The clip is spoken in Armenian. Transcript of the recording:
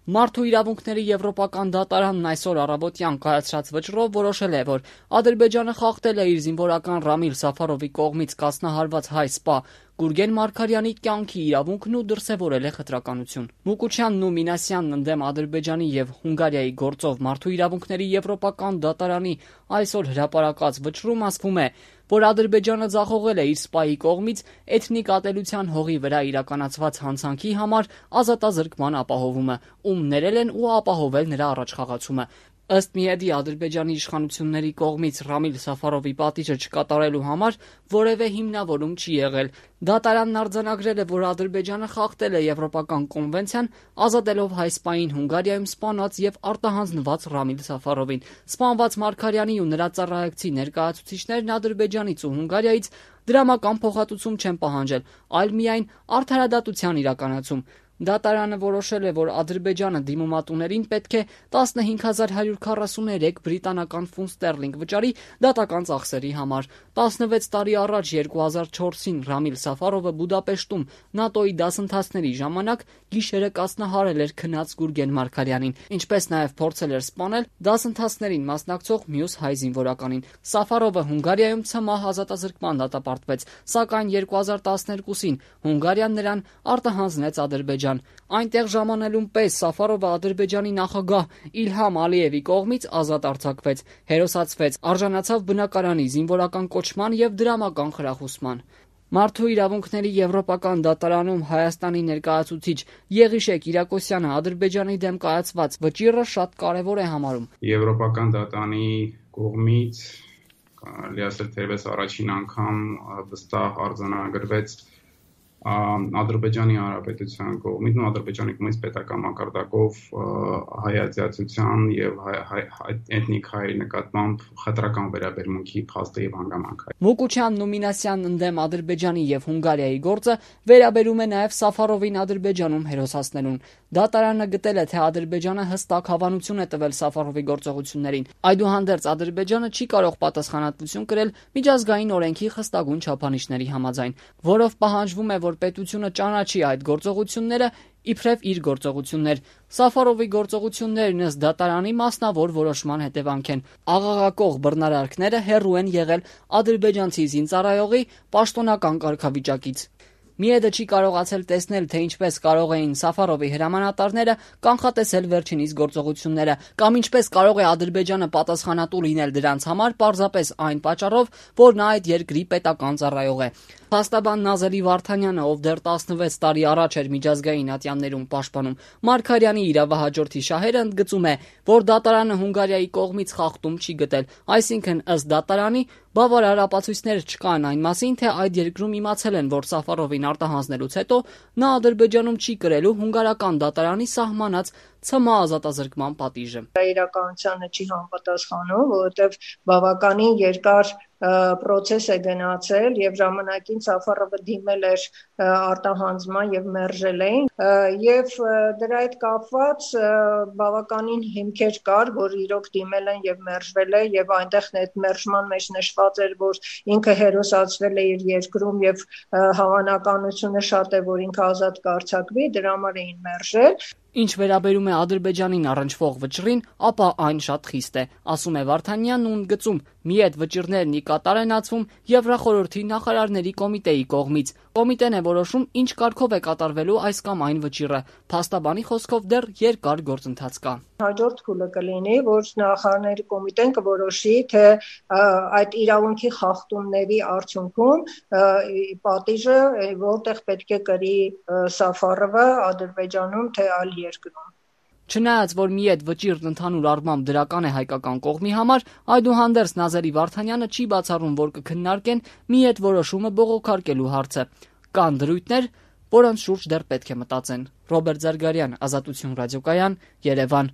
Մարդու իրավունքների եվրոպական դատարանն այսօր առավոտյան կայացրած վճռով որոշել է, որ Ադրբեջանը խախտել է իր զինվորական Ռամիլ Սաֆարովի կողմից կազմահարված հայ սպա Գուրգեն Մարգարյանի կյանքի իրավունքն ու դրսևորել է խտրականություն։ Մուկուչյանն ու Մինասյանն ընդդեմ Ադրբեջանի եւ Հունգարիայի գործով Մարդու իրավունքների եվրոպական դատարանի այսօր հրապարակած վճռում ասվում է, որ Ադրբեջանը ձախողել է իր սպայի կողմից էթնիկ ատելության հողի վրա իրականացված հանցանքի համար ազատազրկման ապահովումը, ում ներել են ու ապահովել նրա առաջխաղացումը։ Ըստ Միեդի Ադրբեջանի իշխանությունների կողմից Ռամիլ Սաֆարովի պատիժը չկատարելու համար որևէ հիմնավորում չի եղել։ Դատարանն արձանագրել է, որ Ադրբեջանը խախտել է Եվրոպական կոնվենցիան, ազատելով հայ սպային Հունգարիայում սպանված եւ արտահանձնված Ռամիլ Սաֆարովին։ Սպանված Մարգարյանի ու նրա ծառայակցի ներկայացուցիչներն Ադրբեջանից ու Հունգարիայից դրամական փոխհատուցում չեն պահանջել, այլ միայն արդարադատության իրականացում։ Դատարանը որոշել է, որ Ադրբեջանը դիմումատուներին պետք է 15143 բրիտանական ֆունտ ստերլինգ վճարի դատական ծախսերի համար։ 16 տարի առաջ 2004-ին Ռամիլ Սաֆարովը Բուդապեշտում ՆԱՏՕ-ի դասընթացների ժամանակ գիշերը կասնահարել էր քնած Գուրգեն Մարգարյանին, ինչպես նաև փորձել էր սպանել դասընթացներին մասնակցող մյուս հայ զինվորականին։ Սաֆարովը Հունգարիայում ցմահ ազատազրկման դատապարտվեց, սակայն 2012-ին Հունգարիան նրան արտահանձնեց Ադրբեջան։ Այնտեղ ժամանելուն պես Սաֆարովը Ադրբեջանի նախագահ Իլհամ Ալիևի կողմից ազատ արձակվեց, հերոսացվեց, արժանացավ բնակարանի, զինվորական կոչման եւ դրամական խրախուսման։ Մարդու իրավունքների եվրոպական դատարանում Հայաստանի ներկայացուցիչ Եղիշեկ Իրակոսյանը Ադրբեջանի դեմ կայացված վճիռը շատ կարևոր է համարում։ Եվրոպական դատարանի կողմից կարելի ասել թերևս առաջին անգամ վստահ արձանագրվեց Ադրբեջանի Հանրապետության կողմից, Ադրբեջանի կողմից պետական մակարդակով հայացիացության եւ էթնիկ հայ նկատմամբ խտրական վերաբերմունքի փաստը եւ հանգամանքը։ Մուկուչյանն ու Մինասյանն ընդդեմ Ադրբեջանի եւ Հունգարիայի գործը վերաբերում է նաեւ Սաֆարովին Ադրբեջանում հերոսացնելուն։ Դատարանը գտել է, թե Ադրբեջանը հստակ հավանություն է տվել Սաֆարովի գործողություններին։ Այդուհանդերձ Ադրբեջանը չի կարող պատասխանատվություն կրել միջազգային օրենքի խստագույն չափանիշների համաձայն, որով պահանջվում է, որ պետությունը ճանաչի այդ գործողությունները իբրև իր գործողություններ։ Սաֆարովի գործողություններն ըստ դատարանի մասնավոր որոշման հետևանք են։ Աղաղակող բռնարարքները հեռու են եղել ադրբեջանցի զինծառայողի պաշտոնական կարգավիճակից։ Միեդը չի կարողացել տեսնել, թե ինչպես կարող էին Սաֆարովի հրամանատարները կանխատեսել վերջինիս գործողությունները, կամ ինչպես կարող է Ադրբեջանը պատասխանատու լինել դրանց համար պարզապես այն պատճառով, որ նա այդ երկրի պետական ծառայող է։ Փաստաբան Նազելի Վարդանյանը, ով դեռ 16 տարի առաջ էր միջազգային ատյաններում պաշտպանում Մարգարյանի իրավահաջորդի շահերը, ընդգծում է, որ դատարանը Հունգարիայի կողմից խախտում չի գտել, այսինքն ըստ դատարանի բավարար ապացույցներ չկան այն մասին, թե այդ երկրում իմացել են, որ Սաֆարովին արտահանձնելուց հետո նա Ադրբեջանում չի կրելու հունգարական դատարանի սահմանած ցմահ ազատազրկման պատիժը։ Իրականությանը չի համապատասխանում, որովհետև բավականին երկար պրոցես է գնացել եւ ժամանակին Սաֆարովը դիմել էր արտահանձնման եւ մերժել էին եւ դրա հետ կապված բավականին հիմքեր կար, որ իրոք դիմել են եւ մերժվել է եւ այնտեղ այդ մերժման մեջ նշված էր, որ ինքը հերոսացվել է իր երկրում եւ հավանականությունը շատ է, որ ինքը ազատ կարձակվի, դրա համար էին մերժել։ Ինչ վերաբերում է Ադրբեջանին առնչվող վճռին, ապա այն շատ խիստ է, ասում է Վարդանյանն ու ընդգծում, մի այդ վճիռներն ի կատար են ածվում Եվրախորհրդի նախարարների կոմիտեի կողմից։ Կոմիտեն է որոշում, ինչ կարգով է կատարվելու այս կամ այն վճիռը։ Փաստաբանի խոսքով դեռ երկար գործընթաց կա։ Հաջորդ փուլը կլինի, որ նախարարների կոմիտեն կորոշի, թե այդ իրավունքի խախտումների արդյունքում պատիժը որտեղ պետք է կրի Սաֆարովը Ադրբեջանում, թե այլ երկրում։ Չնայած, որ մի այդ վճիռն ընդհանուր առմամբ դրական է հայկական կողմի համար, այդուհանդերձ Նազերի Վարդանյանը չի բացառում, որ կքննարկեն մի այդ որոշումը բողոքարկելու հարցը։ Կան դրույթներ, որոնց շուրջ դեռ պետք է մտածեն։ Ռոբերտ Զարգարյան, Ազատություն ռադիոկայան, Երևան։